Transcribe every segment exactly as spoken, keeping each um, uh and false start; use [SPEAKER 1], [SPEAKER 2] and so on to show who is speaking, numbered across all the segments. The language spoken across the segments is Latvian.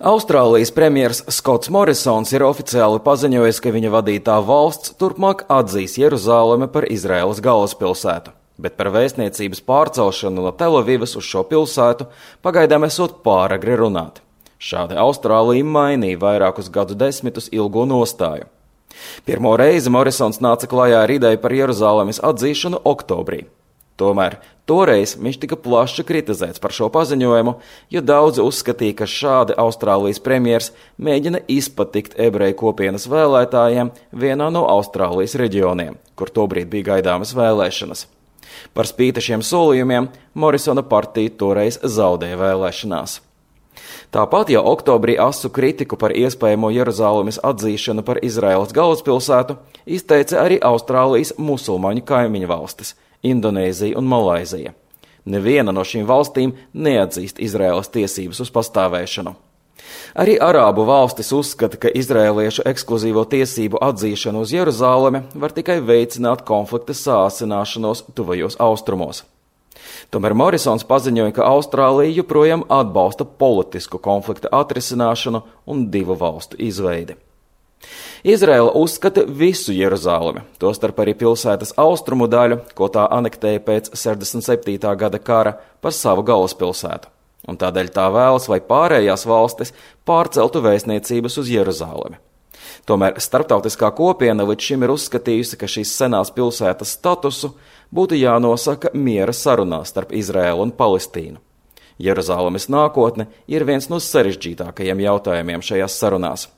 [SPEAKER 1] Austrālijas premjers Skots Morisons ir oficiāli paziņojis, ka viņa vadītā valsts turpmāk atzīs Jeruzalemi par Izraēlas galvaspilsētu, bet par vēstniecības pārcelšanu no Telavivas uz šo pilsētu pagaidām esot pāragri runāt. Šādi Austrālija mainīja vairākus gadu desmitus ilgo nostāju. Pirmo reizi Morisons nāca klajā ar ideju par Jeruzalemes atzīšanu oktobrī. Tomēr toreiz viņš tika plaši kritizēts par šo paziņojumu, jo daudzi uzskatīja, ka šādi Austrālijas premjers mēģina izpatikt ebreju kopienas vēlētājiem vienā no Austrālijas reģioniem, kur tobrīd bija gaidāmas vēlēšanas. Par spīti šiem solījumiem Morisona partija toreiz zaudēja vēlēšanās. Tāpat jau oktobrī asu kritiku par iespējamo Jeruzalemes atzīšanu par Izraēlas galvaspilsētu izteica arī Austrālijas musulmaņu kaimiņu valstis – Indonēzija un Malaizija. Neviena no šīm valstīm neatzīst Izraēlas tiesības uz pastāvēšanu. Arī arābu valstis uzskata, ka izraēliešu ekskluzīvo tiesību atzīšana uz Jeruzalemi var tikai veicināt konflikta sāsināšanos tuvajos austrumos. Tomēr Morisons paziņoja, ka Austrālija joprojām atbalsta politisku konflikta atrisināšanu un divu valstu izveidi. Izraēla uzskata visu Jeruzalemi, tostarp arī pilsētas austrumu daļu, ko tā anektēja pēc sešdesmit septītā gada kara, par savu galvaspilsētu. Un tādēļ tā vēlas, lai pārējās valstis pārceltu vēstniecības uz Jeruzalemi. Tomēr starptautiskā kopiena līdz šim ir uzskatījusi, ka šīs senās pilsētas statusu būtu jānosaka miera sarunās starp Izraēlu un Palestīnu. Jeruzalemes nākotne ir viens no sarežģītākajiem jautājumiem šajās sarunās.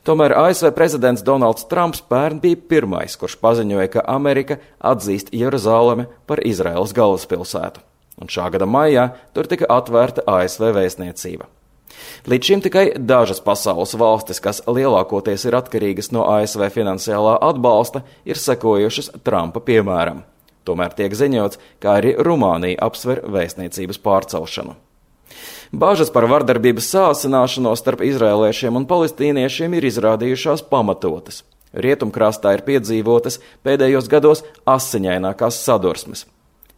[SPEAKER 1] Tomēr A S V prezidents Donalds Trumps pērn bija pirmais, kurš paziņoja, ka Amerika atzīst Jeruzalemi par Izraēlas galvaspilsētu. Un šā gada maijā tur tika atvērta A S V vēstniecība. Līdz šim tikai dažas pasaules valstis, kas lielākoties ir atkarīgas no A S V finansiālā atbalsta, ir sekojušas Trumpa piemēram. Tomēr tiek ziņots, ka arī Rumānija apsver vēstniecības pārcelšanu. Bažas par vardarbības sāsināšanos starp izraēliešiem un palestīniešiem ir izrādījušās pamatotas. Rietumkrastā ir piedzīvotas pēdējos gados asiņainākās sadursmes.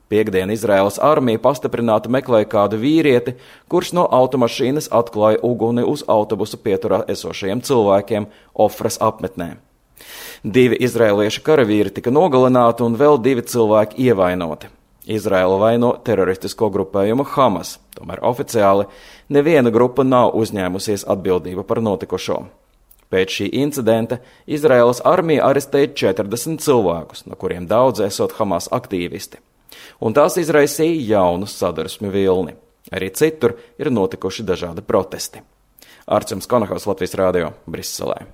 [SPEAKER 1] Piektdien Izraēlas armija pastiprināti meklēja kādu vīrieti, kurš no automašīnas atklāja uguni uz autobusu pieturā esošajiem cilvēkiem Ofras apmetnē. Divi izraēliešu karavīri tika nogalināti un vēl divi cilvēki ievainoti. Izraēla vaino teroristisko grupējumu Hamas, tomēr oficiāli neviena grupa nav uzņēmusies atbildību par notikušo. Pēc šī incidenta Izraēlas armija arestēja četrdesmit cilvēkus, no kuriem daudzi esot Hamas aktīvisti, un tās izraisīja jaunu sadursmi vilni. Arī citur ir notikuši dažādi protesti. Arčuns Konahaus, Latvijas Rādio, Briselē.